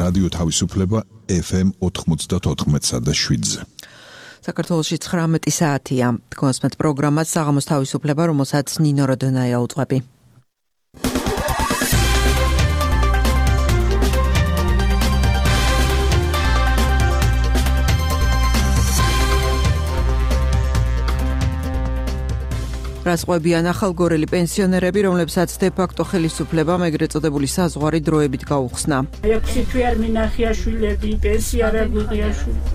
რადიო თავისუფლება FM 94.7-ზე. საქართველოში 19 საათია. გონსმეთ პროგრამას საღამოს თავისუფლება, რომელსაც ნინო როდონაია უძღვები. რასყვებიან ახალგორელი პენსიონერები, რომლებსაც დე-ფაქტო ხელისუფლება ეგრეთ წოდებული საზღვარი დროებით გაუხსნა. 6 თვე არ მინახია შვილები, პენსია არ გვიღია შვილები.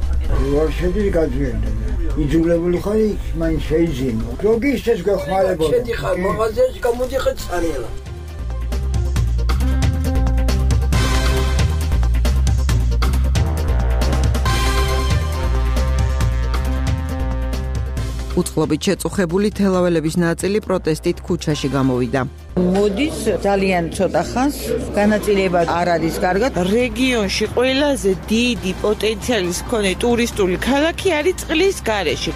ვარ შედი გაძვენდა. იძულებული ხარ მაინც შეიძინო. როგორ ისეს გახმარებოდა? შედი ხარ მაღაზიაში გამოდიხარ წარიელა. უწყლობით შეწუხებული თელაველების ნაწილი პროტესტით ქუჩაში გამოვიდა. მოდის ძალიან ცოტა ხანს განაწილება არ არის კარგად. რეგიონში ყველაზე დიდი პოტენციალის მქონე ტურისტული ქალაქი არის წყლის გარეშე.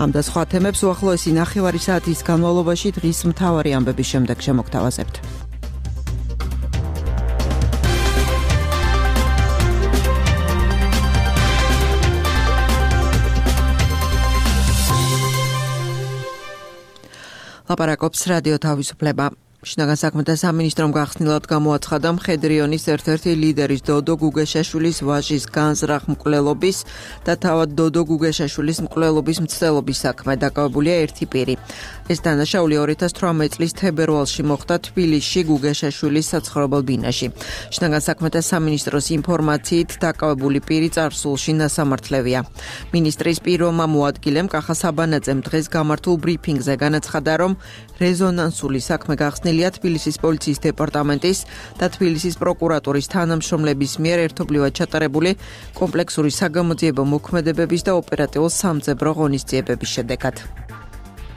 ამ და სხვა თემებს უახლოესი ნახევარი საათის განმავლობაში დღის მთავარი ამბების შემდეგ შემოგთავაზებთ. ლაპარაკობს რადიო თავისუფლება. შინაგან საქმეთა სამინისტრომ გახსნილად გამოაცხადა მხედრიონის ერთ-ერთი ლიდერის დოდო გუგეშაშვილის ვაჟის განზრახ მკვლელობის და თავად დოდო გუგეშაშვილის მკვლელობის მცდელობის საქმე. დაკავებულია ერთი პირი. ეს დანაშაული 2018 წლის თებერვალში მოხდა თბილისში გუგეშაშვილის საცხოვრებელ ბინაში. შინაგან საქმეთა სამინისტროს ინფორმაციით დაკავებული პირი წარსულში ნასამართლევია. მინისტრის პიროვმა მოადგილემ კახა საბანაძემ დღეს გამართულ ბრიფინგზე განაცხადა, რომ რეზონანსული საქმე გახსნილია თბილისის პოლიციის დეპარტამენტის და თბილისის პროკურატურის თანამშრომლების მიერ ერთობლივად ჩატარებული კომპლექსური საგამოძიებო მოქმედებების და ოპერატიულ სამძებრო ღონისძიებების შედეგად.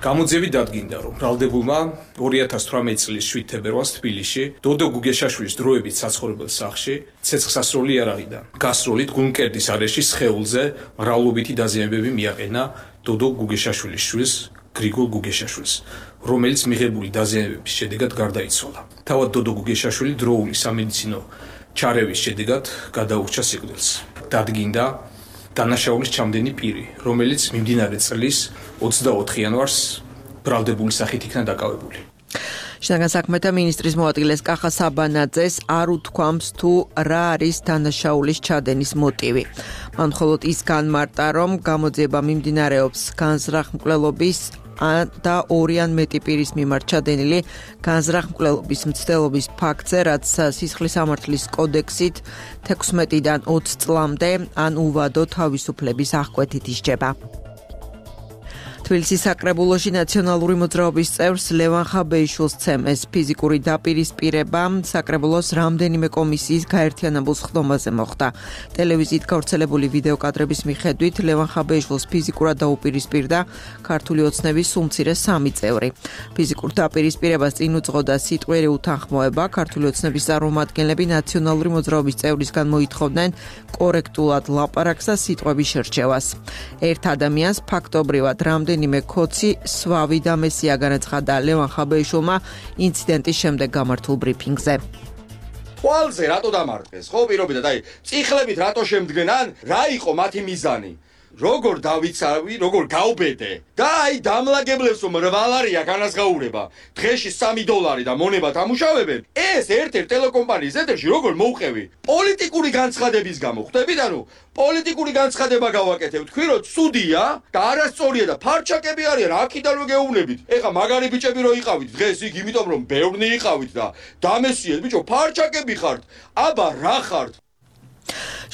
გამოძიებით დადგინდა, რომ ბრალდებულმა 2018 წლის 7 თებერვალს თბილისში დოდო გუგეშაშვილის დროებით საცხოვრებელ სახლში ცეცხლსასროლი იარაღიდან გასროლით გულმკერდის არეში სხეულზე მრავლობითი დაზიანებები მიაყენა დოდო გუგეშაშვილის შვილს გრიგოლ გუგეშაშვილს, რომელიც მიღებული დაზიანებების შედეგად გარდაიცვალა. თავად დოდო გუგეშაშვილი დროული სამედიცინო ჩარევის შედეგად გადაურჩა სიკვდილს. დადგინდა დანაშაულის ჩამდენი პირი, რომელიც მიმდინარე წლის 24 იანვარს ბრალდებული სახით იქნა დაკავებული. შინაგან საქმეთა მინისტრის მოადგილეს კახა საბანაძეს არ უთქვამს თუ რა არის დანაშაულის ჩადენის მოტივი. მან მხოლოდ ის განმარტა, რომ გამოძიება მიმდინარეობს განზრახ მკვლელობის და ორი ან მეტი პირის მიმართ ჩადენილი განზრახ მკვლელობის მცდელობის ფაქტზე, რაც სისხლის სამართლის კოდექსით 16-დან 20 წლამდე ან უვადო თავისუფლების აღკვეთით ისჯება. თბილისის საკრებულოში ნაციონალური მოძრაობის წევრს ლევან ხაბეიშვილს ცემეს ფიზიკური დაპირისპირება საკრებულოს რამდენიმე კომისიის გაერთიანებულ სხდომაზე მოხდა. ტელევიზიით გავრცელებული ვიდეო კადრების მიხედვით ლევან ხაბეიშვილს ფიზიკურად დაუპირისპირდა ქართული ოცნების სულმცირე 3 წევრი. ფიზიკურ დაპირისპირებას წინ უძღოდა სიტყვიერი უთანხმოება. ქართული ოცნების წარმომადგენლები ნაციონალური მოძრაობის წევრისგან მოითხოვდნენ კორექტულად ლაპარაკს და სიტყვების შერჩევას. ერთ ადამიანს ფაქტობრივად რამდენიმე კოცი სვავი და მესია განაცხადა ლევან ხაბეიშვილმა ინციდენტის შემდეგ გამართულ ბრიფინგზე. ხვალზე რატო დამარხეს? ხო პირობითად, აი, წიხლებით რატო შემდგენან? რა იყო მათი მიზანი? როგორ დავიცავი, როგორ გავბედე? და აი დამლაგებლებს რომ რვალარია განაზღაურება, დღეში $3 და მონება თამუშავებენ. ეს ერთ-ერთ ტელეკომპანიის ეთერში როგორ მოვყევი? პოლიტიკური განცხადების გამო, ხვდებით, ანუ პოლიტიკური განცხადება გავაკეთებ, თქვი რომ ცუდია და არასწორია და ფარჩაკები არიან, აქიდანვე გეუბნებით. ეხა მაგარი ბიჭები რო იყავით დღეს იქ, იმიტომ რომ ბევრნი იყავით და დამესიეთ, ბიჭო, ფარჩაკები ხართ. აბა რა ხართ?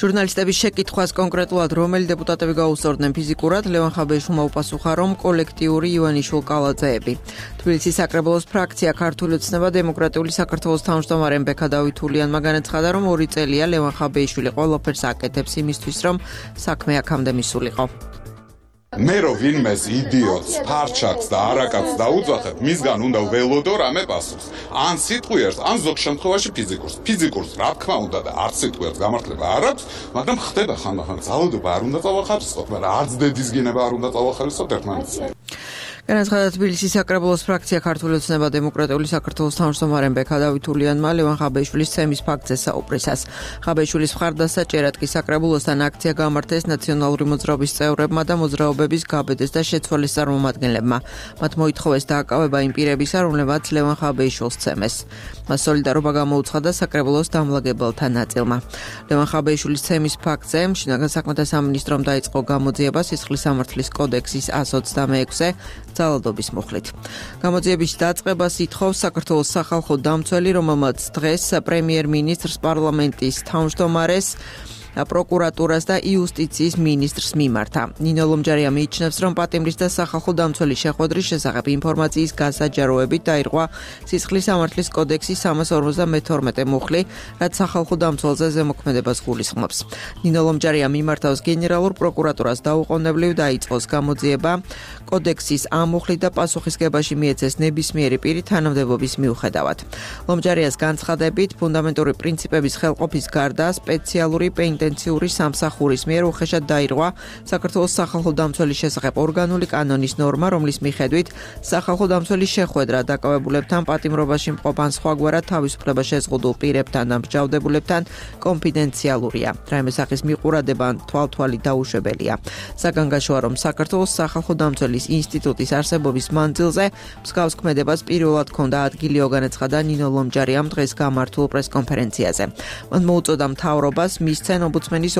ჟურნალისტების შეკითხვას კონკრეტულად რომელი დეპუტატები გაუსწორდნენ ფიზიკურად, ლევან ხაბეიშვილმა უპასუხა, რომ კოლექტიური ივანიშვილ-კალაძეები. თბილისის საკრებულოს ფრაქცია ქართული ოცნება დემოკრატიული საქართველოს თავმჯდომარემ ბექა დავითულიანმა განაცხადა, რომ 2 წელია ლევან ხაბეიშვილი ყველაფერს აკეთებს იმისთვის, რომ საქმე აქამდე მისულიყო. მე რო ვინმეს იდიოტს, ფარჩაკს და არაკაც დაუძახებ, მისგან უნდა ველოდო რამე პასუხს. ან სიტყვიერს, ან ზოგ შემთხვევაში ფიზიკურს. ფიზიკურს რა თქმა უნდა და არც სიტყვიერს გამართლება არ აქვს, მაგრამ ხდება ხანდახან ძალადობა არ უნდა წავახარისხოთ, მაგრამ არც დედის გენება არ უნდა წავახარისხოთ ერთმანეთს. განაცხადა თბილისის საკრებულოს ფრაქცია ქართული ოცნება დემოკრატიული საქართველოს თავმჯდომარემ ბექა დავითულიანმა ლევან ხაბეიშვილის ცემის ფაქტზე საუბრისას. ხაბეიშვილის მხარდასაჭერად კი საკრებულოსთან აქცია გამართეს ნაციონალური მოძრაობის წევრებმა და მოძრაობების გაბედეს და შეცვალეს წარმომადგენლებმა. მათ მოითხოვეს დააკავება იმ პირებისა, რომლებმაც ლევან ხაბეიშვილს ცემეს. მას სოლიდარობა გამოუცხადა საკრებულოს დამლაგებელთა ნაწილმა. ლევან ხაბეიშვილის ცემის ფაქტზე შინაგან საქმეთა სამინისტრომ დაიწყო გამოძიება სისხლის სამართლის კოდექსის 126-ე ძალადობის მუხლით. გამოძიების დაწყებას ითხოვს საქართველოს სახალხო დამცველი, რომელმაც დღეს პრემიერ-მინისტრს, პარლამენტის თავმჯდომარეს, პროკურატურას და იუსტიციის მინისტრს მიმართა. ნინო ლომჯარია მიიჩნევს, რომ პატიმრის და სახალხო დამცველის შეხვედრის შესახებ ინფორმაციის გასაჯაროებით დაირღვა სისხლის სამართლის კოდექსის 352 მუხლი, რაც სახალხო დამცველზე ზემოქმედებას გულისხმობს. ნინო ლომჯარია მიმართავს გენერალურ პროკურატურას დაუყოვნებლივ დაიწყოს გამოძიება კოდექსის ამ მუხლით და პასუხისგებაში მიეცეს ნებისმიერი პირი თანამდებობის მიუხედავად. ლომჯარიას განცხადებით, ფუნდამენტური პრინციპების ხელყოფის გარდა სპეციალური პენიტენციური სამსახურის მიერ უხეშად დაირღვა საქართველოს სახალხო დამცველის შესახებ ორგანული კანონის ნორმა, რომლის მიხედვით სახალხო დამცველის შეხვედრა დაკავებულებთან პატიმრობაში მყოფან სხვაგვარად თავისუფლება შეზღუდულ პირებთან და მსჯავრდებულებთან კონფიდენციალურია. რაიმე სახის მიყურადება თვალთვალი დაუშვებელია. საგანგაშოა, რომ საქართველოს სახალხო დამცველის ინსტიტუტის არსებობის მანძილზე მსგავს ქმედებას პირველად ჰქონდა ადგილიო განაცხადა ნინო ლომჯარიამ დღეს გამართულ პრესკონფერენციაზე. მან მოუწოდა მთავრობას მისცენ ომბუდსმენის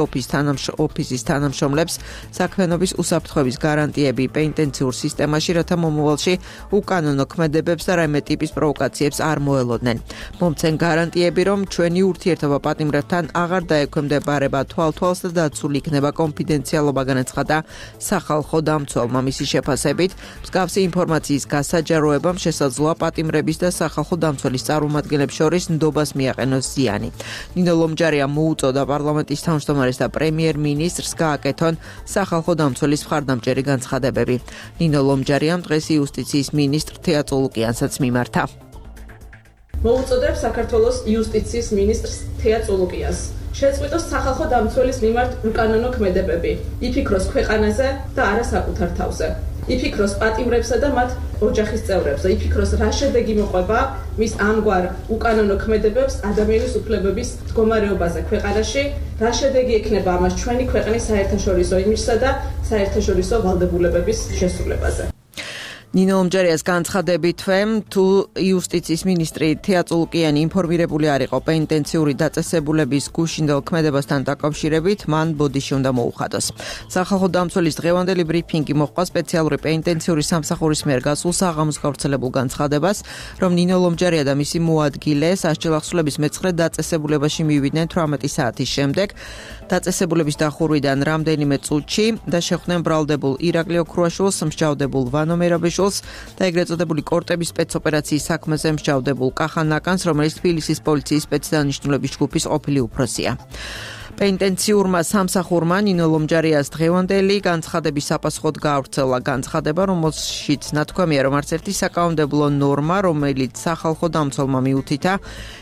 ოფისის თანამშრომლებს საქმიანობის უსაფრთხოების გარანტიები პენიტენციურ სისტემაში, რათა მომავალში უკანონო ქმედებებს და რაიმე ტიპის პროვოკაციებს არ მოელოდნენ. მომცენ გარანტიები, რომ ჩვენი ურთიერთობა პატიმრებთან აღარ დაექვემდებარება თვალთვალს და დაცული იქნება კონფიდენციალობა, განაცხადა სახალხო დამცველმა. მისი შეფასებით, მსგავსი ინფორმაციის გასაჯაროებამ შესაძლოა პატიმრების და სახალხო დამცველის წარმომადგენლებს შორის ნდობას მიაყენოს ზიანი. ნინო ლომჯარია მოუწოდა პარლამენტის თავმჯდომარეს და პრემიერ-მინისტრს გააკეთონ სახალხო დამცველის მხარდამჭერი განცხადებები. ნინო ლომჯარიამ დღეს იუსტიციის მინისტრ თეა წულუკიანსაც მიმართა. მოუწოდებ საქართველოს იუსტიციის მინისტრს თეა წულუკიანს შეწყვიტოს სახალხო დამცველის მიმართ უკანონო ქმედებები, იფიქროს ქვეყანაზე და არა საკუთარ თავზე. იფიქროს პატიმრებსა და მათ ოჯახის წევრებზე, იფიქროს რა შედეგი მოყვება მის ამგვარ უკანონო ქმედებებს ადამიანის უფლებების მდგომარეობაზე ქვეყანაში, რა შედეგი ექნება ამას ჩვენი ქვეყნის საერთაშორისო იმიჯსა და საერთაშორისო ვალდებულებების შესრულებაზე. ნინო ლომჯარიას განცხადებითვე, თუ იუსტიციის მინისტრი თეა წულუკიანი ინფორმირებული არ იყო პენიტენციური დაწესებულების გუშინდელ ქმედებასთან დაკავშირებით, მან ბოდიში უნდა მოუხადოს. სახალხო დამცველის დღევანდელი ბრიფინგი მოჰყვა სპეციალური პენიტენციური სამსახურის მიერ გასულ საღამოს გავრცელებულ განცხადებას, რომ ნინო ლომჯარია და მისი მოადგილე სასჯელ ახსულების მეცხრე დაწესებულებაში მივიდნენ 18 საათის შემდეგ, დაწესებულების დახურვიდან რამდენიმე წუთში და შეხვდნენ ბრალდებულ ირაკლი ოქრუაშვილს, მსჯავრდებულ ვანო მერაბეშვილს და ეგრეთ წოდებული კორტების სპეცოპერაციის საქმეზე მსჯავრდებულ კახა ნაკანს, რომელიც თბილისის პოლიციის სპეცდანიშნულების ჯგუფის ყოფილი უფროსია. პენიტენციურმა სამსახურმა ნინო ლომჯარიას დღევანდელი განცხადების საპასუხოდ გაავრცელა განცხადება, რომელშიც ნათქვამია, რომ არც ერთი საკანონმდებლო ნორმა, რომელიც სახალხო დამცველმა მიუთითა,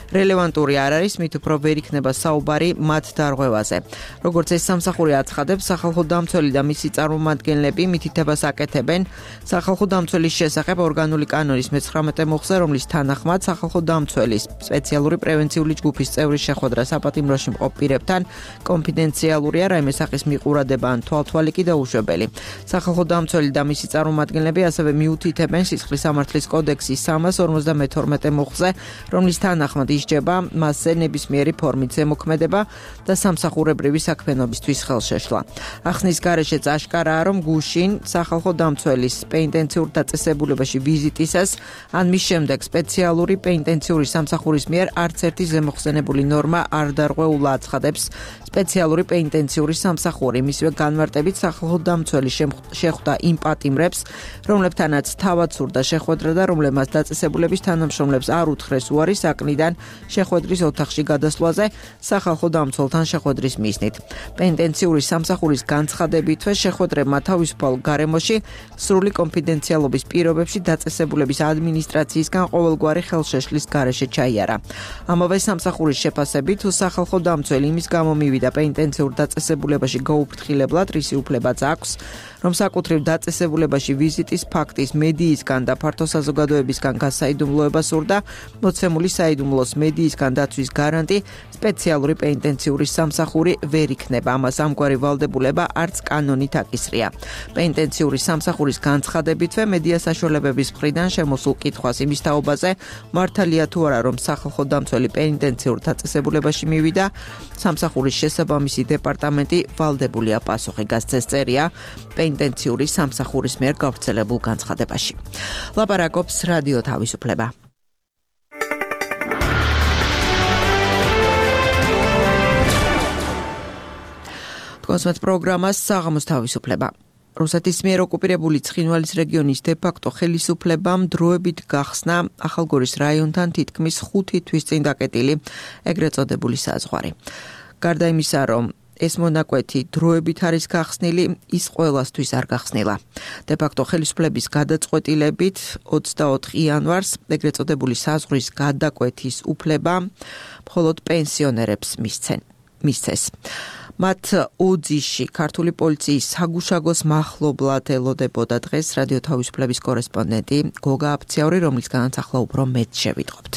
რელევანტური არ არის, მით უფრო ვერ იქნება საუბარი მათ დარღვევაზე. როგორც ეს სამსახური აცხადებს, სახალხო დამცველი და მისი წარმომადგენლები მითითებას აკეთებენ სახალხო დამცველის შესახებ ორგანული კანონის 19 მოხზე, რომლის თანახმად სახალხო დამცველის სპეციალური პრევენციული ჯგუფის წევრის შეხვედრა საპატიმროში მყოფ პირებთან კონფიდენციალურია, რაიმე სახის მიყურადება ან თვალთვალი კი დაუშვებელი. სახალხო დამცველი და მისი წარმომადგენლები ასევე მიუთითებენ სისხლის სამართლის კოდექსის 352 მოხზე, რომლის თანახმად ისჯება მასზე ნებისმიერი ფორმით ზემოქმედება და სამსახურებრივი საქმიანობისთვის ხელშეშლა. ახსნის გარეშეც აშკარაა, რომ გუშინ სახალხო დამცველის პენიტენციურ დაწესებულებაში ვიზიტისას ან მის შემდეგ სპეციალური პენიტენციური სამსახურის მიერ არც ერთი ზემოხსენებული ნორმა არ დარღვეულა, აცხადებს სპეციალური პენიტენციური სამსახური. მისივე განმარტებით სახალხო დამცველი შეხვდა იმ პატიმრებს, რომლებთანაც თავად სურდა შეხვედრა და რომლებმაც დაწესებულების თანამშრომლებს არ უთხრეს უარი საკნიდან შეხვედრის ოთახში გადასვლაზე სახალხო დამცველთან შეხვედრის მიზნით. პენიტენციური სამსახურის განცხადებითვე შეხვედრებმა თავისუფალ გარემოში სრული კონფიდენციალობის პირობებში დაწესებულების ადმინისტრაციისგან ყოველგვარი ხელშეშლის გარეშე ჩაიარა. ამავე სამსახურის შეფასებით, თუ სახალხო დამცველი იმის გამო მივიდა პენიტენციურ დაწესებულებაში გაუფრთხილებლად, რისი უფლებაც აქვს, რომ საკუთრივ დაწესებულებაში ვიზიტის ფაქტის მედიისგან და ფართო საზოგადოებისგან გასაიდუმლოება სურდა, მოცემული საიდუმლოს მედიისგან დაცვის გარანტი სპეციალური პენიტენციური სამსახური ვერ იქნება. ამას ამგვარი ვალდებულება არც კანონით აკისრია. პენიტენციური სამსახურის განცხადებითვე მედია საშუალებების მხრიდან შემოსულ კითხვას იმის თაობაზე, მართალია თუ არა, რომ სახალხო დამცველი პენიტენციურ დაწესებულებაში მივიდა, სამსახურის შესაბამისი დეპარტამენტი ვალდებულია პასუხი გასცეს, წერია პენიტენციური სამსახურის მიერ გავრცელებულ განცხადებაში. ლაპარაკობს რადიო თავისუფლება. კონსმეთ პროგრამას საღამოს თავისუფლება. რუსეთის მიერ ოკუპირებული ცხინვალის რეგიონის დე-ფაქტო ხელისუფლებამ დროებით გახსნა ახალგორის რაიონთან თითქმის 5 თვის წინ დაკეტილი ეგრეთ წოდებული საზღვარი. გარდა იმისა, რომ ეს მონაკვეთი დროებით არის გახსნილი, ის ყველასთვის არ გახსნილა. დე-ფაქტო ხელისუფლების გადაწყვეტილებით 24 იანვარს ეგრეთ წოდებული საზღვრის გადაკვეთის უფლება მხოლოდ პენსიონერებს მისცეს. მათ ოძიში ქართული პოლიციის საგუშაგოს მახლობლად ელოდებოდა დღეს რადიო თავისუფლების კორესპონდენტი გოგა აფციაური, რომლისგანაც ახლა უფრო მეტ შევიტყობთ.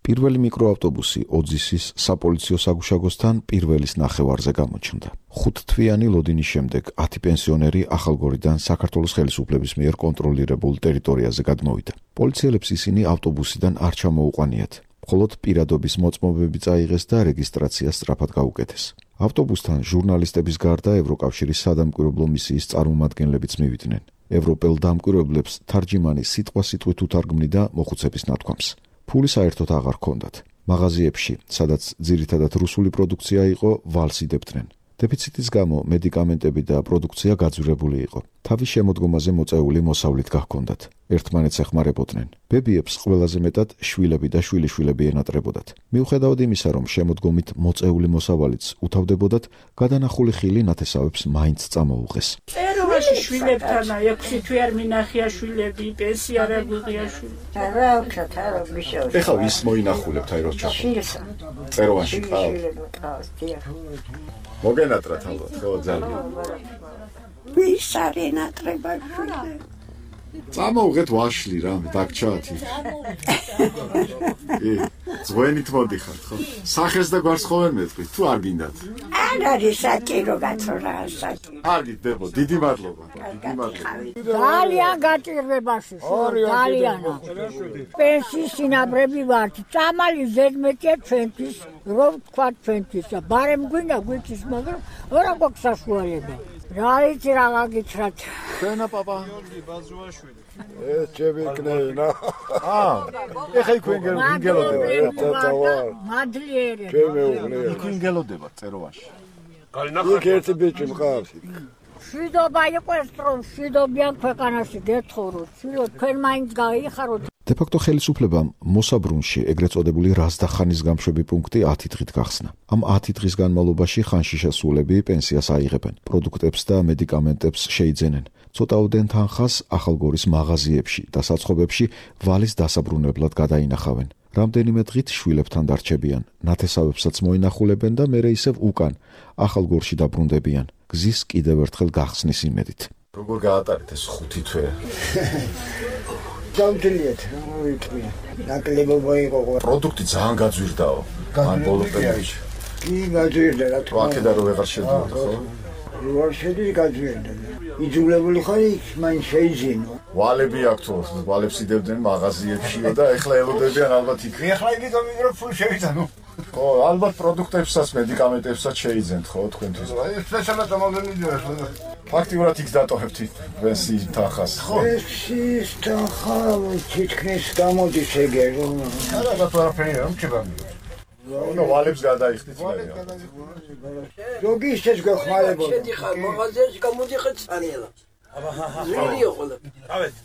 პირველი მიკროავტობუსი ოძისის საპოლიციო საგუშაგოსთან პირველის ნახევარზე გამოჩნდა. 5 თვიანი ლოდინის შემდეგ 10 პენსიონერი ახალგორიდან საქართველოს ხელისუფლების მიერ კონტროლირებულ ტერიტორიაზე გადმოვიდა. პოლიციელებს ისინი ავტობუსიდან არ ჩამოუყვანიათ. მხოლოდ პირადობის მოწმობები წაიღეს და რეგისტრაცია სწრაფად გაუკეთეს. ავტობუსთან ჟურნალისტების გარდა ევროკავშირის სადამკვირვებლო მისიის წარმომადგენლებიც მივიდნენ. ევროპელ დამკვირვებლებს თარჯიმანი სიტყვასიტყვით უთარგმნიდა მოხუცების ნათქვამს. ფული საერთოდ აღარ ჰქონდათ. მაღაზიებში, სადაც ძირითადად რუსული პროდუქცია იყო, ვალს იდებდნენ. დეფიციტის გამო მედიკამენტები და პროდუქცია გაძვირებული იყო. თავის შემოდგომაზე მოწეული მოსავლით გაჰქონდათ. ერთმანეთს ეხმარებოდნენ. ბებიებს ყველაზე მეტად შვილები და შვილიშვილები ენატრებოდათ. მიუხედავად იმისა, რომ შემოდგომით მოწეული მოსავალიც უთავდებოდათ, გადანახული ხილი ნათესავებს მაინც წამოუღეს. ეროვაში შვილებთანა 6 თვე არ მინახია შვილები, პენსია არ გვიღია შვილები. ეხლა ის მოინახულებთ აი რო ჩახო. ეროვაში ყავს. მოგენატრათ ალბათ, ხო ძალიან. ვის არ ენატრება შვილები? წამოუღეთ ვაშლი რა, დაგჩაათი. ზღვენით მოდიხართ, ხო? სახეს და გვარს ხო ვერ მეტყვით, თუ არ გინდათ? არ არის საჭირო გაცრა საჭირო. კარგი, დებო, დიდი მადლობა. დიდი მადლობა. ძალიან გაჭირვებაში, ძალიან. პენსიის სინაბრები ვართ, წამალი ზედმეტია ჩვენთვის, რომ თქვა ჩვენთვის. ბარემ გვინდა გვიცის, მაგრამ რა გვაქვს საშუალება. რა იცი რა გაგიცრათ. ჩვენა პაპა ეს ჩემიკნენა. ეხა იქ ვინგელოდება. მადლიერი. იქ ვინგელოდება წეროვაში. იქ ერთი ბიჭი მყავს. შვიდობა იყოს რომ შვიდობიან ქვეყანაში გეთხოროთ. თქვენ მაინც გაიხაროთ. დე-ფაქტო ხელისუფლებამ მოსაბრუნში ეგრეთ წოდებული რაზდახანის გამშვები პუნქტი 10 დღით გახსნა. ამ 10 დღის განმავლობაში ხანშიშესულები პენსიას აიღებენ, პროდუქტებს და მედიკამენტებს შეიძენენ. ცოტაოდენ თანხას ახალგორის მაღაზიებში და საცხობებში ვალის დასაბრუნებლად გადაინახავენ. რამდენიმე დღით შვილებთან დარჩებიან, ნათესავებსაც მოინახულებენ და მერე ისევ უკან ახალგორში დაბრუნდებიან. გზის კიდევ ერთხელ გახსნის იმედით. როგორ გაატარეთ ეს 5 თვე? გამთლიეთ, ვიტყვი. ნაკლებობა იყო. პროდუქტი ძალიან გაძვირდაო. მან ბოლო პერიოდში. კი გაძვირდა რა თქმა უნდა. აქედან რო ვეღარ შედიოდა, ხო? ვარ შედი გაძვირდა. იძულებული ხარ იქ მაინც შეიძინო. ვალები აქვთ, ვალებს იდებდნენ მაღაზიებშიო და ეხლა ელოდებიან ალბათ იქ. ეხლა იგითო მიგრო ფული შევიძანო. ხო, ალბათ პროდუქტებსაც, მედიკამენტებსაც შეიძენთ, ხო, თქვენთვის. ეს სპეციალურად ამოდენიდია. ფაქტიურად იქ დატოვებთ პენსიის თანხას, ხო? პენსიის თანხა თითქმის გამოდის ეგე რომ. არა, დაფარაფერი რომ ჩებამი. ნუ ვალებს გადაიხდით მე. ზოგი ისეც გახმარებოდა. შედიხარ მაღაზიაში გამოდიხარ წანილა.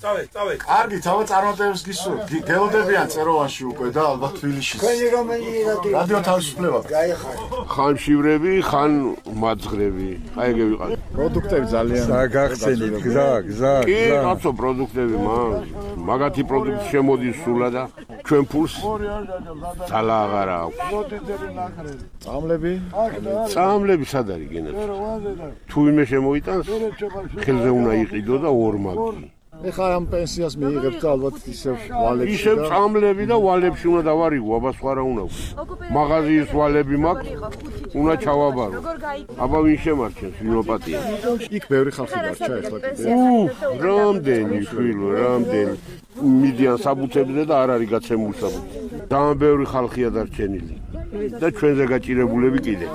წავედ. კარგი, თავა წარმატებებს გისურვებთ. გელოდებიან წეროვანში უკვე და ალბათ თბილისში. თქვენი რომელი რადიო თავისუფლება. გაიხარ. ხან შივრები, ხან მაძღრები. აი ეგ ვიყავ. პროდუქტები ძალიან გაგახსენით, გზა. კი, კაცო პროდუქტები, მაგათი პროდუქტი შემოდის სულა და ჩვენ ფულს ძალა აღარ აქვს. წამლები სად არის გენერალ? თუ ვინმე შემოიტანს, ხელზე უნდა იყიდო და ორმაგი. ეხლა ამ პენსიას მიიღებთ ალბათ ისევ ვალებში. ისევ წამლები და ვალებში უნდა დავარიგო, აბა სხვა რა უნდა ვქო. მაღაზიის ვალები მაქვს, უნდა ჩავაბარო. აბა ვინ შემარჩენს, ვინ ოპატია? იქ ბევრი ხალხი დარჩა ეხლა კიდე. რამდენი შვილო, რამდენი მიდიან საბუთებზე და არ არის გაცემული საბუთი. ძალიან ბევრი ხალხია დარჩენილი და ჩვენზე გაჭირებულები კიდე.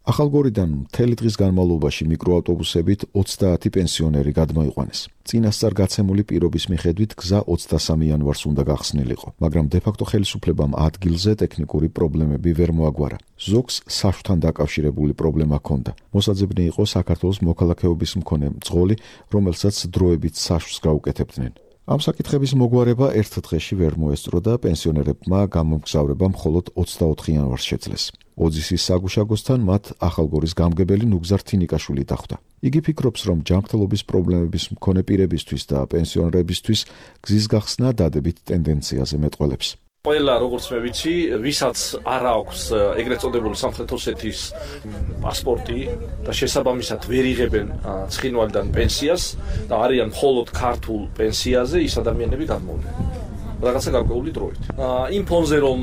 ახალგორიდან მთელი დღის განმავლობაში მიკროავტობუსებით 30 პენსიონერი გადმოიყვანეს. წინასწარ გაცემული პირობის მიხედვით გზა 23 იანვარს უნდა გახსნილიყო, მაგრამ დე-ფაქტო ხელისუფლებამ ადგილზე ტექნიკური პრობლემები ვერ მოაგვარა. ზოგს საშუთან დაკავშირებული პრობლემა ჰქონდა. მოსაძებნი იყო საქართველოს მოქალაქეობის მქონე მძღოლი, რომელსაც დროებით საშუს გაუკეთებდნენ. ამ საკითხების მოგვარება ერთ დღეში ვერ მოესწრო და პენსიონერებმა გამომგზავრება მხოლოდ 24 იანვარს შეძლეს. ოძისის საგუშაგოსთან მათ ახალგორის გამგებელი ნუგზარ თინიკაშვილი დახვდა. იგი ფიქრობს, რომ ჯანმრთელობის პრობლემების მქონე პირებისთვის და პენსიონერებისთვის გზის გახსნა დადებით ტენდენციაზე მეტყველებს. ყველა როგორც მე ვიცი, ვისაც არ აქვს ეგრეთ წოდებული სამხრეთ ოსეთის პასპორტი და შესაბამისად ვერ იღებენ ცხინვალიდან პენსიას და არიან მხოლოდ ქართულ პენსიაზე, ის ადამიანები გადმოვიდნენ რაღაცა გარკვეული დროით. იმ ფონზე რომ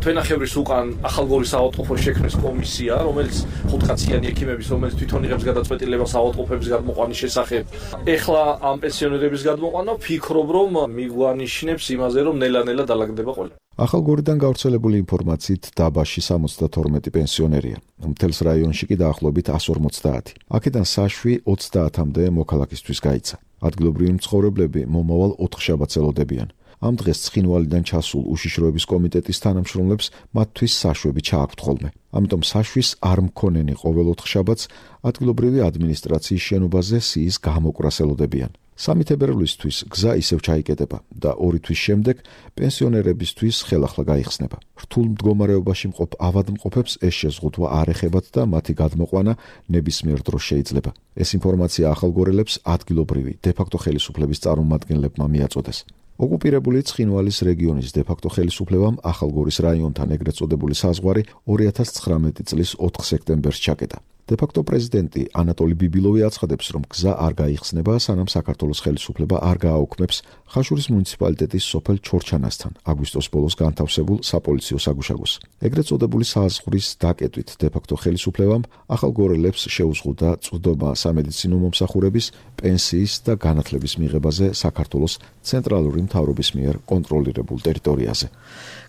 თვენახევრის უკან ახალგორის საავადმყოფოს შექმნეს კომისია, რომელიც 5-კაციანი ექიმების, რომელიც თვითონ იღებს გადაწყვეტილებას ავადმყოფების გადმოყვანის შესახებ. ეხლა ამ პენსიონერების გადმოყვანა ვფიქრობ, რომ მიგვანიშნებს იმაზე, რომ ნელა-ნელა დალაგდება ყველა. ახალგორიდან გავრცელებული ინფორმაციით დაბაში 72 პენსიონერია. მთელს რაიონში კი დაახლოებით 150. აქედან საშვი 30-მდე მოქალაქისთვის გაიცა. ადგილობრივი მცხოვრებლები მომავალ 4 შაბათს ელოდებიან. ამ დღეს ცხინვალიდან ჩასულ უშიშროების კომიტეტის თანამშრომლებს მათთვის საშვები ჩააქვთ ხოლმე. ამიტომ საშვის არ მქონენი ყოველ 4 შაბათს ადგილობრივი ადმინისტრაციის შენობაზე სიის გამოკვრას ელოდებიან. 3 თებერვლისთვის გზა ისევ ჩაიკეტება და 2 თვის შემდეგ პენსიონერებისთვის ხელახლა გაიხსნება. რთულ მდგომარეობაში მყოფ ავადმყოფებს ეს შეზღუდვა არ ეხებათ და მათი გადმოყვანა ნებისმიერ დროს შეიძლება. ეს ინფორმაცია ახალგორელებს ადგილობრივი დე-ფაქტო ხელისუფლების წარმომადგენლებმა მიაწოდეს. ოკუპირებული ცხინვალის რეგიონის დე-ფაქტო ხელისუფლებამ ახალგორის რაიონთან ეგრეთ წოდებული საზღვარი 2019 წლის 4 სექტემბერს ჩაკეტა. დე-ფაქტო პრეზიდენტი ანატოლი ბიბილოვი აცხადებს, რომ გზა არ გაიხსნება, სანამ საქართველოს ხელისუფლება არ გააუქმებს ხაშურის მუნიციპალიტეტის სოფელ ჩორჩანასთან აგვისტოს ბოლოს განთავსებულ საპოლიციო საგუშაგოს. ეგრეთ წოდებული საზღვრის დაკეტვით დე-ფაქტო ხელისუფლებამ ახალგორელებს შეუზღუდა წვდომა სამედიცინო მომსახურების, პენსიის და განათლების მიღებაზე საქართველოს ცენტრალური მთავრობის მიერ კონტროლირებულ ტერიტორიაზე.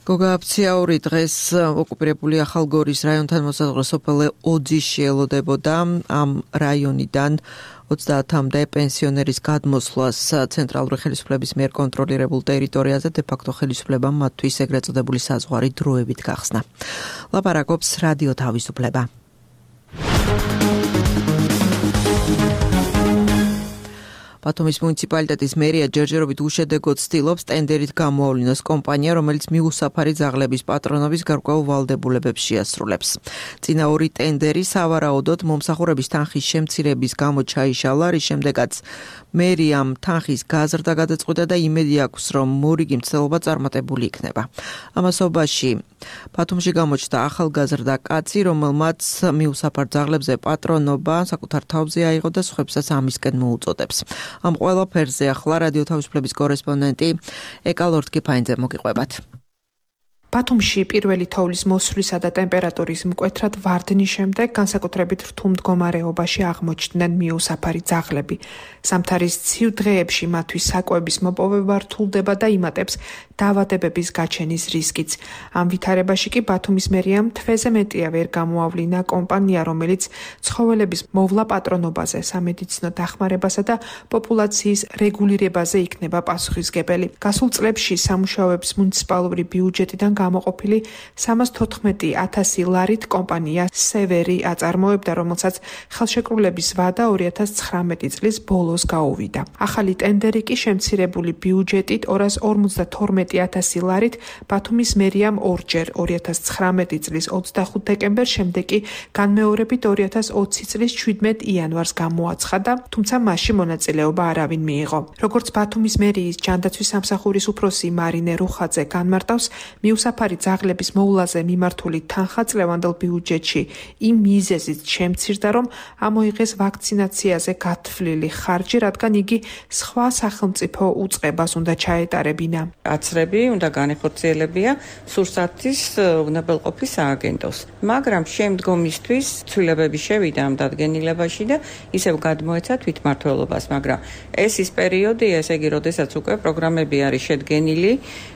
გოგა აფციაური დღეს ოკუპირებული ახალგორის რაიონთან მოსაზღვრე სოფელ ოძისში ელოდებოდა. ამ რაიონიდან 30-მდე პენსიონერის გადმოსვლას ცენტრალური ხელისუფლების მიერ კონტროლირებულ ტერიტორიაზე დე-ფაქტო ხელისუფლებამ მათთვის ეგრეთ წოდებული საზღვარი დროებით გახსნა. ლაპარაკობს რადიო თავისუფლება. ბათუმის მუნიციპალიტეტის მერია ჯერჯერობით უშედეგოდ ცდილობს ტენდერით გამოავლინოს კომპანია, რომელიც მიუსაფარი ძაღლების პატრონობის გარკვეულ ვალდებულებებს შეასრულებს. წინა 2 ტენდერი სავარაუდოდ მომსახურების თანხის შემცირების გამო ჩაიშალა, რის შემდეგაც მერიამ თანხის გაზრდა გადაწყვიტა და იმედი აქვს, რომ მორიგი მცდელობა წარმატებული იქნება. ამასობაში ბათუმში გამოჩნდა ახალგაზრდა კაცი, რომელმაც მიუსაფარ ძაღლებზე პატრონობა საკუთარ თავზე აიღო და სხვებსაც ამისკენ მოუწოდებს. ამ ყველაფერზე ახლა რადიო თავისუფლების კორესპონდენტი ეკალორთკიფაინძე მოგიყვებათ. ბათუმში პირველი თოვლის მოსვლისა და ტემპერატურის მკვეთრად ვარდნის შემდეგ განსაკუთრებით რთულ მდგომარეობაში აღმოჩნდნენ მიუსაფარი ძაღლები. სამთარის ცივ დღეებში მათთვის საკვების მოპოვება რთულდება და იმატებს დაავადებების გაჩენის რისკიც. ამ ვითარებაში კი ბათუმის მერიამ თვეზე მეტია ვერ გამოავლინა კომპანია, რომელიც ცხოველების მოვლა პატრონობაზე, სამედიცინო დახმარებასა და პოპულაციის რეგულირებაზე იქნება პასუხისმგებელი. გასულ წლებში სამუშაოებს მუნიციპალური ბიუჯეტიდან გამოყოფილი 314,000 ლარით კომპანია სევერი აწარმოებდა, რომელსაც ხელშეკრულების ვადა 2019 წლის ბოლოს გაუვიდა. ახალი ტენდერი კი შემცირებული ბიუჯეტით 252,000 ლარით ბათუმის მერიამ ორჯერ 2019 წლის 25 დეკემბერს, შემდეგ კი განმეორებით 2020 წლის 17 იანვარს გამოაცხადა, თუმცა მასში მონაწილეობა არავინ მიიღო. როგორც ბათუმის მერიის ჯანდაცვის სამსახურის უფროსი მარინე რუხაძე განმარტავს, მიუსაფარი ძაღლების მოვლაზე მიმართული თანხა წლევანდელ ბიუჯეტში იმ მიზეზით შემცირდა, რომ ამოიღეს ვაქცინაციაზე გათვლილი ხარჯი, რადგან იგი სხვა სახელმწიფო უწყებას უნდა ჩაეტარებინა. აცრები უნდა განეხორციელებია სურსათის უნებელყოფის სააგენტოს. მაგრამ შემდგომისთვის ცვლილებები შევიდა ამ დადგენილებაში და ისევ გადმოეცა თვითმმართველობას, მაგრამ ეს ის პერიოდია, ესე იგი, როდესაც უკვე პროგრამები არის შედგენილი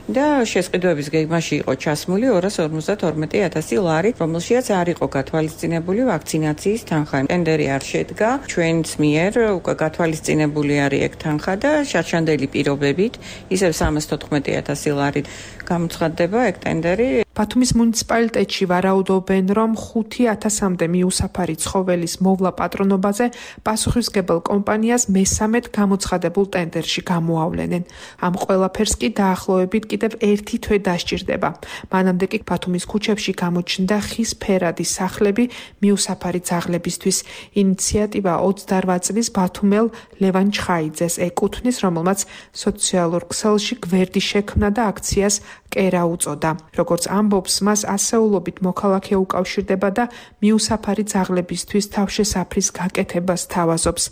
და შესყიდვების გეგმაში იყო ჩასმული 252,000 ლარი, რომელშიაც არ იყო გათვალისწინებული ვაქცინაციის თანხა. ტენდერი არ შედგა, ჩვენს მიერ უკვე გათვალისწინებული არის ეგ თანხა და შარშანდელი პირობებით ისევ 314,000 ლარი გამოცხადდება ეგ ტენდერი. ბათუმის მუნიციპალიტეტში ვარაუდობენ, რომ 5,000-მდე მიუსაფარი ცხოველის მოვლა პატრონობაზე პასუხისმგებელ კომპანიას მესამედ გამოცხადებულ ტენდერში გამოავლენენ. ამ ყველაფერს კი დაახლოებით კიდევ 1 თვე დასჭირდება. მანამდე კი ბათუმის ქუჩებში გამოჩნდა ხის ფერადი სახლები მიუსაფარი ძაღლებისთვის. ინიციატივა 28 წლის ბათუმელ ლევან ჩხაიძეს ეკუთვნის, რომელმაც სოციალურ ქსელში გვერდი შექმნა და აქციას კერა უწოდა. როგორც ამბობს, მას ასეულობით მოქალაქე უკავშირდება და მიუსაფარი ძაღლებისთვის თავშესაფრის გაკეთებას თავაზობს.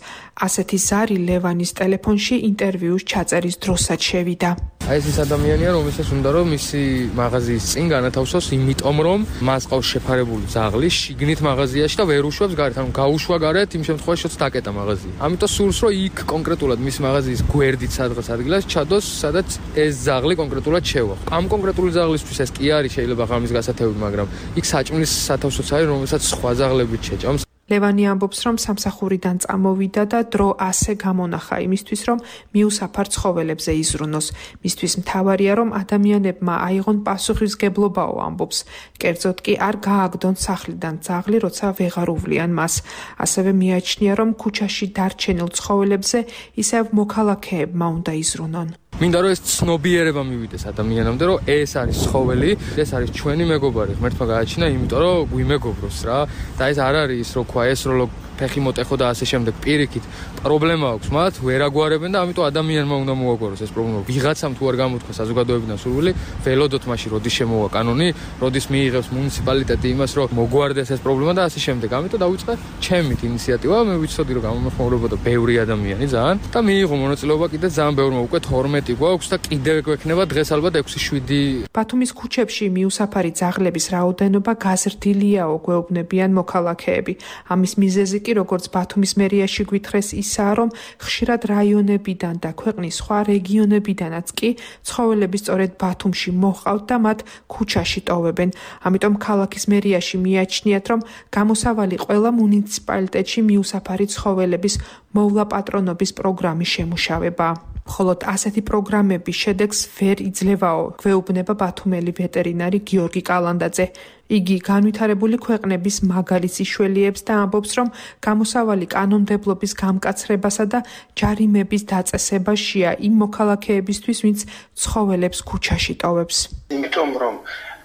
ასეთი ზარი ლევანის ტელეფონში ინტერვიუს ჩაწერის დროსაც შევიდა. ეს ის ადამიანია, რომელსაც უნდა რომ მისი მაღაზიის წინ განათავსოს, იმიტომ რომ მას ყავს შეფარებული ძაღლი შიგნით მაღაზიაში და ვერ უშვებს გარეთ, ანუ გაუშვა გარეთ, იმ შემთხვევაში რაც დაკეტა მაღაზია. ამიტომ სურს რომ იქ კონკრეტულად მის მაღაზიის გვერდით სადღაც ადგილას ჩადოს, სადაც ეს ძაღლი კონკრეტულად შევა. ამ კონკრეტული ძაღლისთვის ეს კი არის შეიძლება ღამის გასათევი, მაგრამ იქ საჭმლის სათავსოც არის, რომელსაც სხვა ძაღლებით შეჭამს. ლევანი ამბობს, რომ სამსახურიდან წამოვიდა და დრო ასე გამონახა იმისთვის, რომ მიუსაფარ ცხოველებზე იზრუნოს. მისთვის მთავარია, რომ ადამიანებმა აიღონ პასუხისმგებლობაო, ამბობს. კერძოდ კი არ გააგდონ სახლიდან ძაღლი, როცა ვეღარ უვლიან მას. ასევე მიაჩნია, რომ ქუჩაში დარჩენილ ცხოველებზე ისევ მოქალაქეებმა უნდა იზრუნონ. მინდა რომ ეს ცნობიერება მივიდეს ადამიანამდე, რომ ეს არის ცხოველი, ეს არის ჩვენი მეგობარი, ღმერთმა გააჩინა, იმიტომ რომ გვიმეგობროს რა. და ეს არ არის ის, რო ქვა ეს რო ფეხი მოტეხო და ასე შემდეგ. პირიქით პრობლემა აქვს მათ, ვერ აგვარებენ და ამიტომ ადამიანმა უნდა მოაგვაროს ეს პრობლემა. ვიღაცამ თუ არ გამოთქვა საზოგადოებიდან სურვილი, ველოდოთ მაშინ როდის შემოვა კანონი, როდის მიიღებს მუნიციპალიტეტი იმას, რომ მოგვარდეს ეს პრობლემა და ასე შემდეგ. ამიტომ დავიწყე ჩემით ინიციატივა, მე ვიცოდი რომ გამომხმაურებოდა ბევრი ადამიანი ძალიან და მიიღო მონაწილეობა კიდე ძალიან ბევრმა, უკვე 12 გვაქვს და კიდევ გვექნება დღეს ალბათ 6-7. ბათუმის ქუჩებში მიუსაფარი ძაღლების რაოდენობა გაზრდილიაო, გვეუბნებიან მოქალაქეები. ამის მიზეზი კი როგორც ბათუმის მერიაში გვითხრეს ისაა, რომ ხშირად რაიონებიდან და ქვეყნის სხვა რეგიონებიდანაც კი ცხოველები სწორედ ბათუმში მოჰყავთ და მათ ქუჩაში ტოვებენ. ამიტომ ქალაქის მერიაში მიაჩნიათ, რომ გამოსავალი ყველა მუნიციპალიტეტში მიუსაფარი ცხოველების მოვლა პატრონობის პროგრამის შემუშავება. მხოლოდ ასეთი პროგრამების შედეგს ვერ იძლევაო, გვეუბნება ბათუმელი ვეტერინარი გიორგი კალანდაძე. იგი განვითარებული ქვეყნების მაგალითს იშველიებს და ამბობს, რომ გამოსავალი კანონმდებლობის გამკაცრებასა და ჯარიმების დაწესებაშია იმ მოქალაქეებისთვის, ვინც ცხოველებს ქუჩაში ტოვებს. იმიტომ რომ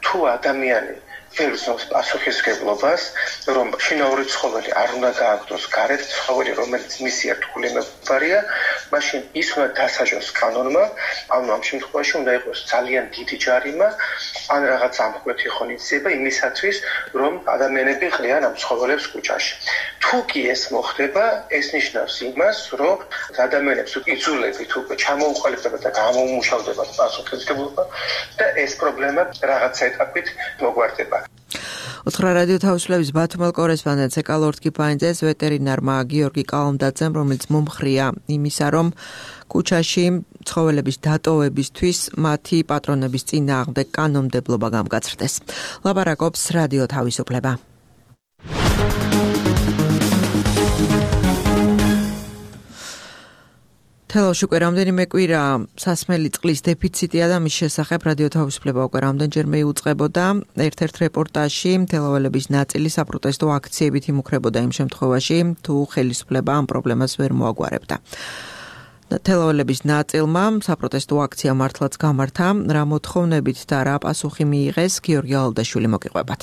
თუ ადამიანი ვერ ზავს პასუხისმგებლობას, რომ შინაური ცხოველი არ უნდა გააგდოს გარეთ, ცხოველი რომელიც მისი ერთგული მეგობარია, მაშინ ის უნდა დასაჯოს კანონმა, ანუ ამ შემთხვევაში უნდა იყოს ძალიან დიდი ჯარიმა, ან რაღაც ამხვრეთი ღონისძიება იმისათვის, რომ ადამიანები ყრიან ამ ცხოველებს ქუჩაში. თუ კი ეს მოხდება, ეს ნიშნავს იმას, რომ ადამიანებს უკიძულებით უკვე ჩამოუყალიბდება და გამოუმუშავდება პასუხისმგებლობა და ეს პრობლემა რაღაც ეტაპით მოგვარდება. უთხრა რადიო თავისუფლების ბათუმელ კორესპონდენტს ეკალორტკი პაინძეს ვეტერინარმა გიორგი კალანდაძემ, რომელიც მომხრია იმისა, რომ ქუჩაში ცხოველების დატოვებისთვის მათი პატრონების წინააღმდეგ კანონმდებლობა გამკაცრდეს. ლაპარაკობს რადიო თავისუფლება. თელავში უკვე რამდენიმე კვირა სასმელი წყლის დეფიციტია და მის შესახებ რადიო თავისუფლება უკვე რამდენჯერმე იუწყებოდა. ერთ-ერთ რეპორტაჟში თელაველების ნაწილი საპროტესტო აქციებით იმუქრებოდა იმ შემთხვევაში, თუ ხელისუფლება ამ პრობლემას ვერ მოაგვარებდა. თელაველების ნაწილმა საპროტესტო აქცია მართლაც გამართა, რა მოთხოვნებით და რა პასუხი მიიღეს, გიორგი ალდაშვილი მოგიყვებათ.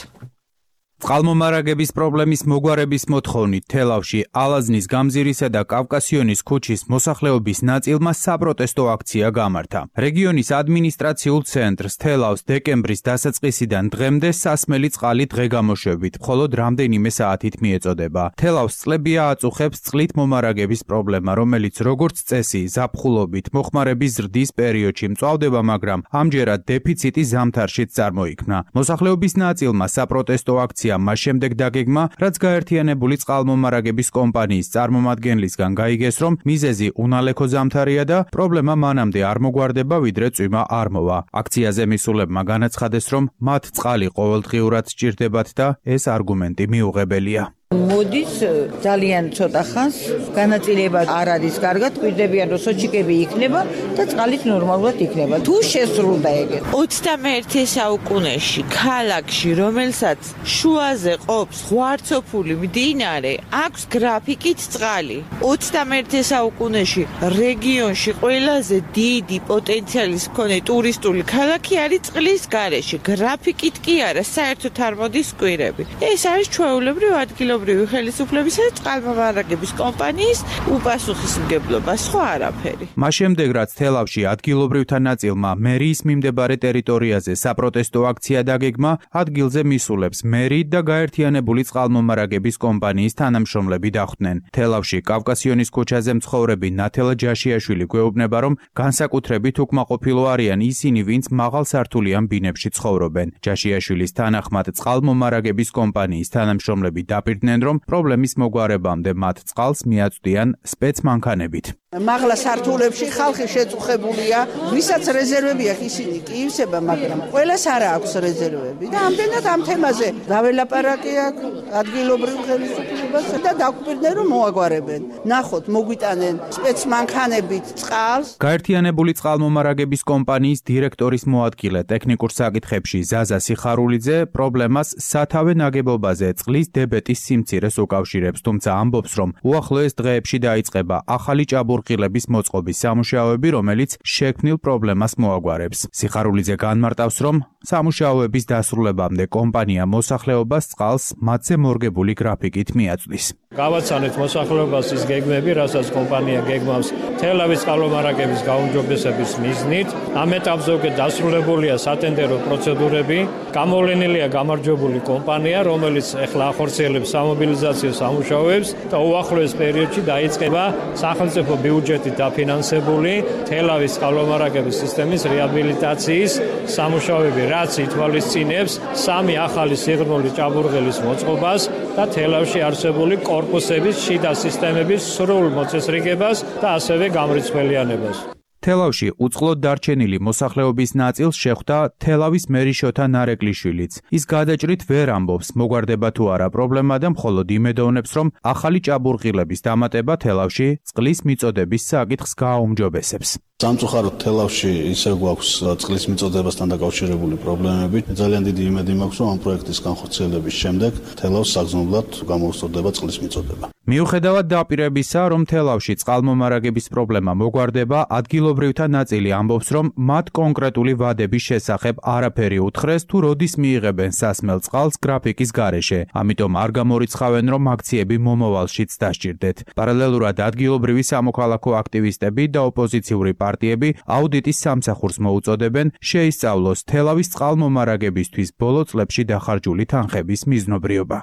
წყალმომარაგების პრობლემის მოგვარების მოთხოვნით თელავში ალაზნის გამზირისა და კავკასიონის ქუჩის მოსახლეობის ნაწილმა საპროტესტო აქცია გამართა. რეგიონის ადმინისტრაციულ ცენტრს თელავს დეკემბრის დასაწყისიდან დღემდე სასმელი წყალი დღეგამოშვებით, მხოლოდ რამდენიმე საათით მიეწოდება. თელავს წლებია აწუხებს წყლით მომარაგების პრობლემა, რომელიც როგორც წესი ზაფხულობით მოხმარების ზრდის პერიოდში მწვავდება, მაგრამ ამჯერად დეფიციტი ზამთარშიც წარმოიქმნა. მოსახლეობის ნაწილმა საპროტესტო აქცია მას შემდეგ დაგეგმა, რაც გაერთიანებული წყალმომარაგების კომპანიის წარმომადგენლისგან გაიგეს, რომ მიზეზი უნალექო ზამთარია და პრობლემა მანამდე არ მოგვარდება, ვიდრე წვიმა არ მოვა. აქციაზე მისულებმა განაცხადეს, რომ მათ წყალი ყოველდღიურად სჭირდებათ და ეს არგუმენტი მიუღებელია. მოდის ძალიან ცოტა ხანს განაწილება არ არის კარგად, გვირდებიან რომ სოჩიკები იქნება და წყალით ნორმალურად იქნება. თუ შესრულდა ეგეთ 21 საუკუნეში ქალაქში, რომელსაც შუაზე ყოფს ღვარცოფული მდინარე, აქვს გრაფიკით წყალი. 21 საუკუნეში რეგიონში ყველაზე დიდი პოტენციალის მქონე ტურისტული ქალაქი არის წყლის გარეშე. გრაფიკით კი არა, საერთოდ არ მოდის კვირები. ეს არის ჩვეულებრივ ადგილობრივი ხელისუფლებისა და წყალმომარაგების კომპანიის უპასუხისმგებლობა, სხვა არაფერი. მას შემდეგ, რაც თელავში ადგილობრივთა ნაწილმა მერიის მიმდებარე ტერიტორიაზე საპროტესტო აქცია დაგეგმა, ადგილზე მისულებს მერი და გაერთიანებული წყალმომარაგების კომპანიის თანამშრომლები დახვდნენ. თელავში კავკასიონის ქუჩაზე მცხოვრები ნათელა ჯაშიაშვილი გვეუბნება, რომ განსაკუთრებით უკმაყოფილო არიან ისინი, ვინც მაღალსართულიან ბინებში ცხოვრობენ. ჯაშიაშვილის თანახმად წყალმომარაგების კომპანიის თანამშრომლები დაპირდნენ, რომ პრობლემის მოგვარებამდე მათ წყალს მიაწვდიან სპეცმანქანებით. მაღლა სართულებში ხალხი შეწუხებულია, ვისაც რეზერვები აქვს ისინი კი ივსება, მაგრამ ყველას არ აქვს რეზერვები და ამდენად ამ თემაზე დაველაპარაკე აქ ადგილობრივ ხელისუფლებას და დაგვირდნენ რომ მოაგვარებენ. ნახოთ, მოგვიტანენ სპეცმანქანებით წყალს. გაერთიანებული წყალმომარაგების კომპანიის დირექტორის მოადგილე ტექნიკურ საკითხებში ზაზა სიხარულიძე პრობლემას სათავე ნაგებობაზე წყლის დებეტის სიმცირეს უკავშირებს, თუმცა ამბობს, რომ უახლოეს დღეებში დაიწყება ახალი ჭაბურღილების მოწყობის სამუშაოები, რომელიც შექმნილ პრობლემას მოაგვარებს. სიხარულიძე განმარტავს, რომ სამუშაოების დასრულებამდე კომპანია მოსახლეობას წყალს მათზე მორგებული გრაფიკით მიაწვდის. გავაცანეთ მოსახლეობას ის გეგმები, რასაც კომპანია გეგმავს თელავის წყალმომარაგების გაუმჯობესების მიზნით. ამ ეტაპზე უკვე დასრულებულია სატენდერო პროცედურები. გამოვლენილია გამარჯვებული კომპანია, რომელიც ახლა ახორციელებს სამობილიზაციო სამუშაოებს და უახლოეს პერიოდში დაიწყება სახელმწიფო ბიუჯეტით დაფინანსებული თელავის წყალმომარაგების სისტემის რეაბილიტაციის სამუშაოები, რაც ითვალისწინებს 3 ახალი სიღრმული ჭაბურღილის მოწყობას და თელავში არსებული კორპუსების შიდა სისტემების სრულ მოწესრიგებას და ასევე გამრიცხველიანებას. თელავში უწყლოდ დარჩენილი მოსახლეობის ნაწილს შეხვდა თელავის მერი შოთა ნარეკლიშვილიც. ის გადაჭრით ვერ ამბობს, მოგვარდება თუ არა პრობლემა და მხოლოდ იმედოვნებს, რომ ახალი ჭაბურღილების დამატება თელავში წყლის მიწოდების საკითხს გააუმჯობესებს. სამწუხაროდ თელავში ისევ გვაქვს წყლის მიწოდებასთან დაკავშირებული პრობლემები. ძალიან დიდი იმედი მაქვს, რომ ამ პროექტის განხორციელების შემდეგ თელავს საგრძნობლად გამოუსწორდება წყლის მიწოდება. მიუხედავად დაპირებისა, რომ თელავში წყალმომარაგების პრობლემა მოგვარდება, ადგილობრივთა ნაწილი ამბობს, რომ მათ კონკრეტული ვადების შესახებ არაფერი უთხრეს, თუ როდის მიიღებენ სასმელ წყალს გრაფიკის გარეშე. ამიტომ არ გამორიცხავენ, რომ აქციები მომავალშიც დასჭირდეთ. პარალელურად ადგილობრივი სამოქალაქო აქტივისტები და ოპოზიციური პარტიები აუდიტის სამსახურს მოუწოდებენ შეისწავლოს თელავის წყალმომარაგებისთვის ბოლო წლებში დახარჯული თანხების მიზნობრიობა.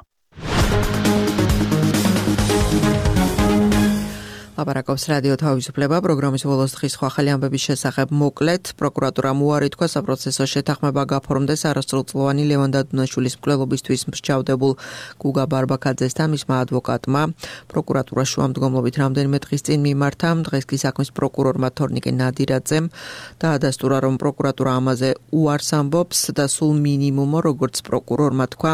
ლაპარაკობს რადიო თავისუფლება პროგრამის ბოლოს დღის სხვა ხელი ამბების შესახებ მოკლედ. პროკურატურამ უარი თქვა საპროცესო შეთანხმება გაფორმდეს არასრულწლოვანი ლევან დადუნაშვილის მკვლელობისთვის მსჯავრდებულ გუგა ბარბაქაძესთან მისმა ადვოკატმა. პროკურატურა შუამდგომლობით რამდენიმე დღის წინ მიმართა. დღეს კი საქმის პროკურორმა თორნიკე ნადირაძემ დაადასტურა, რომ პროკურატურა ამაზე უარს ამბობს და სულ მინიმუმო, როგორც პროკურორმა თქვა,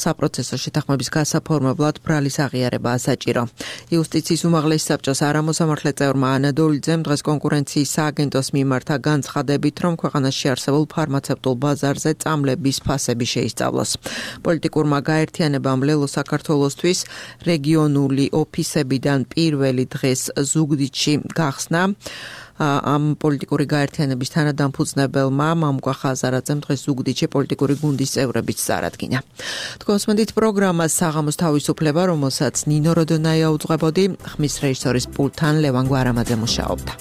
საპროცესო შეთანხმების გასაფორმებლად ბრალის აღიარება ასაჭირო. იუსტიციის უმაღლესი საბჭოს არამოსამართლე წევრმა ანადოლიძემ დღეს კონკურენციის სააგენტოს მიმართა განცხადებით, რომ ქვეყანაში არსებულ ფარმაცევტულ ბაზარზე წამლების ფასები შეისწავლოს. პოლიტიკურმა გაერთიანებამ ლელო საქართველოსთვის რეგიონული ოფისებიდან პირველი დღეს ზუგდიდში გახსნა. ამ პოლიტიკური გაერთიანების თანადამფუძნებელმა მამუკა ხაზარაძემ დღეს ზუგდიდში პოლიტიკური გუნდის წევრებიც წარადგინა. თქვენსმენდით პროგრამას საღამოს თავისუფლება, რომელსაც ნინო როდონაია უძღვებოდი, ხმის რეჟისორის პულტთან ლევან გვარამაძე მუშაობდა.